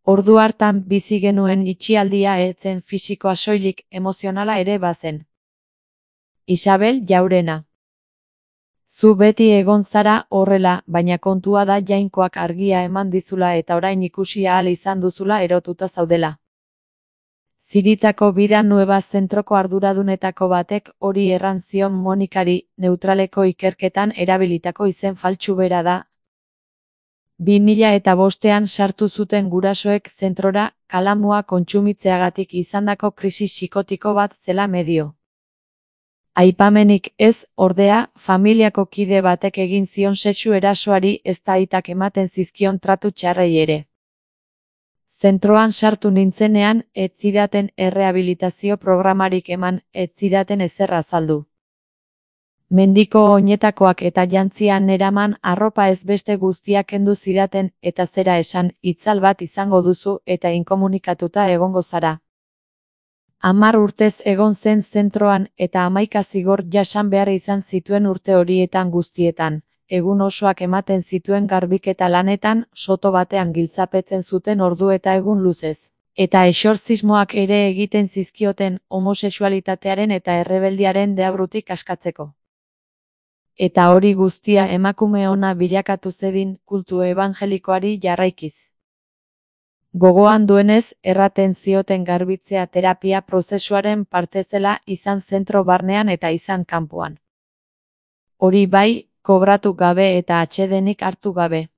Ordu hartan bizi genuen itxialdia ez zen fisikoa soilik, emozionala ere bazen. Isabel Jaurena. Zu beti egon zara horrela, baina kontua da Jainkoak argia eman dizula eta orain ikusi ahal izan duzula erotuta zaudela. Ziritako Vida Nueva zentroko arduradunetako batek hori erran zion Monikari, neutraleko ikerketan erabilitako izen faltsu bera da. 2005ean sartu zuten gurasoek zentrora, kalamua kontsumitzeagatik izandako krisi psikotiko bat zela medio. Aipamenik ez, ordea, familiako kide batek egin zion sexu erasoari ezta aitak ematen zizkion tratu txarrei ere. Zentroan sartu nintzenean, ez zidaten errehabilitazio programarik eman, ez zidaten ezer azaldu. Mendiko oinetakoak eta jantzian neraman arropa ez beste guztiak kendu zidaten eta zera esan, itzal bat izango duzu eta inkomunikatuta egongo zara. 10 urtez egon zen zentroan eta 11 zigor jasan behar izan zituen urte horietan guztietan. Egun osoak ematen zituen garbiketa lanetan, soto batean giltzapetzen zuten ordu eta egun luzez. Eta exortzismoak ere egiten zizkioten homosexualitatearen eta errebeldiaren deabrutik askatzeko. Eta hori guztia emakume ona bilakatu zedin kultu ebangelikoari jarraikiz. Gogoan duenez, erraten zioten garbitzea terapia prozesuaren parte zela izan zentro barnean eta izan kanpoan. Hori bai, kobratu gabe eta atsedenik hartu gabe.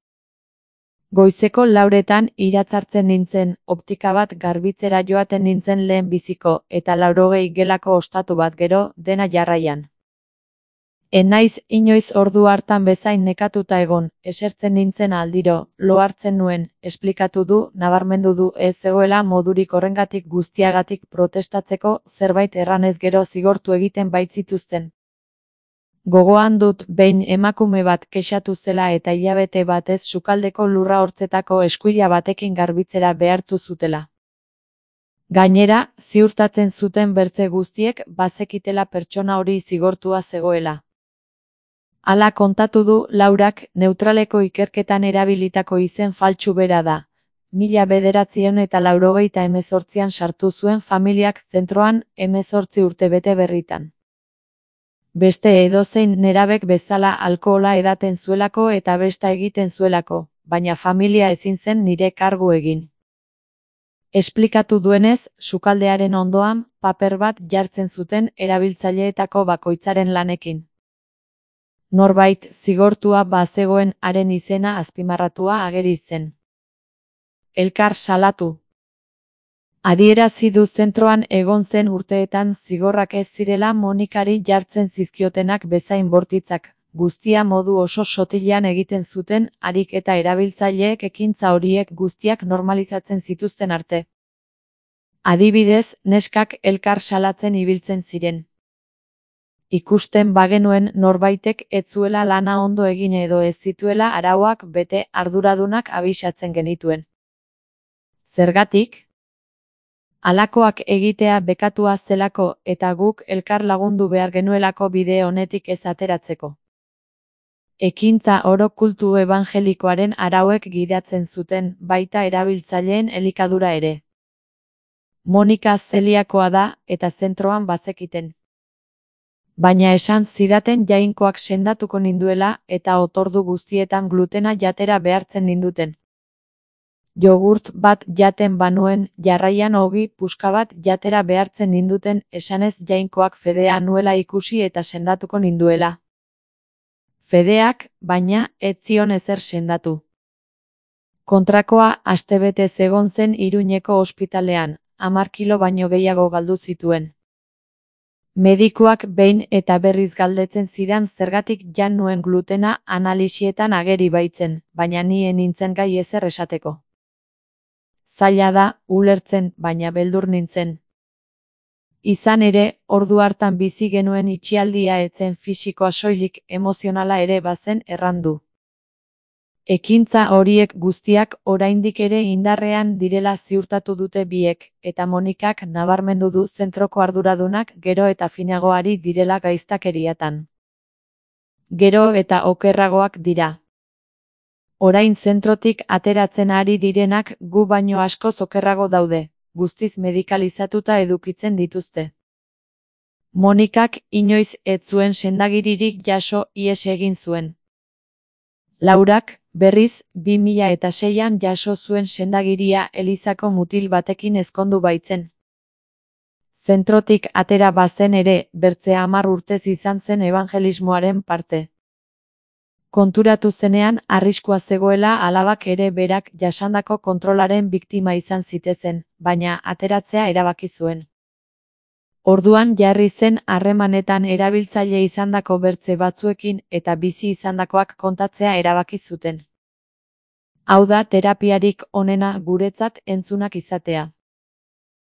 Goizeko 4etan iratzartzen nintzen, optika bat garbitzera joaten nintzen lehen biziko, eta 80 gelako ostatu bat gero, dena jarraian. Naiz inoiz ordu hartan bezain nekatuta egon, esertzen nintzen aldiro, lo hartzen nuen, esplikatu du, nabarmendu du ez zegoela modurik horrengatik guztiagatik protestatzeko, zerbait erranez gero zigortu egiten baitzituzten. Gogoan dut behin emakume bat kexatu zela eta hilabete batez sukaldeko lurra hortzetako eskuila batekin garbitzera behartu zutela. Gainera, ziurtatzen zuten bertze guztiek bazekitela pertsona hori zigortua zegoela. Hala kontatu du Laurak, neutraleko ikerketan erabilitako izen faltsu bera da. 1998ean sartu zuen familiak zentroan 18 urte bete berritan. Beste edozein nerabek bezala alkohola edaten zuelako eta besta egiten zuelako, baina familia ezin zen nire kargu egin. Esplikatu duenez, sukaldearen ondoan, paper bat jartzen zuten erabiltzaileetako bakoitzaren lanekin. Norbait zigortua bazegoen haren izena azpimarratua ageri zen. Elkar salatu. Adierazi du zentroan egon zen urteetan zigorrak ez zirela Monikari jartzen zizkiotenak bezain bortitzak, guztia modu oso sotilean egiten zuten harik eta erabiltzaileek ekintza horiek guztiak normalizatzen zituzten arte. Adibidez, neskak elkar salatzen ibiltzen ziren. Ikusten bagenuen norbaitek ez zuela lana ondo egin edo ez zituela arauak bete arduradunak abisatzen genituen. Zergatik? Halakoak egitea bekatua zelako eta guk elkar lagundu behar genuelako bide honetik ez ateratzeko. Ekintza oro kultu ebangelikoaren arauek gidatzen zuten, baita erabiltzaileen elikadura ere. Monika zeliakoa da eta zentroan bazekiten. Baina esan zidaten Jainkoak sendatuko ninduela eta otordu guztietan glutena jatera behartzen ninduten. Jogurt bat jaten banuen, jarraian ogi puska bat jatera behartzen ninduten esanez Jainkoak fedea nuela ikusi eta sendatuko ninduela. Fedeak, baina, ez zion ezer sendatu. Kontrakoa astebete egon zen Iruñeko ospitalean, 10 kilo baino gehiago galdu zituen. Medikuak behin eta berriz galdetzen zidan zergatik jan nuen glutena analisietan ageri baitzen, baina ni nintzen gai ezer esateko. Zaila da, ulertzen, baina beldur nintzen. Izan ere, ordu hartan bizi genuen itxialdia ez zen fisikoa soilik emozionala ere bazen errandu. Ekintza horiek guztiak oraindik ere indarrean direla ziurtatu dute biek, eta Monikak nabarmendu du zentroko arduradunak gero eta finagoari direla gaiztakeriatan. Gero eta okerragoak dira. Orain zentrotik ateratzen ari direnak gu baino askoz okerrago daude, guztiz medikalizatuta edukitzen dituzte. Monikak inoiz ez zuen sendagiririk jaso, ihes egin zuen. Laurak, berriz, 2006an jaso zuen sendagiria elizako mutil batekin ezkondu baitzen. Zentrotik atera bazen ere, bertze 10 urtez izan zen ebangelismoaren parte. Konturatu zenean arriskua zegoela alabak ere berak jasandako kontrolaren biktima izan zitezen, baina ateratzea erabaki zuen. Orduan jarri zen harremanetan erabiltzaile izandako bertze batzuekin eta bizi izandakoak kontatzea erabaki zuten. Hau da terapiarik onena guretzat entzunak izatea.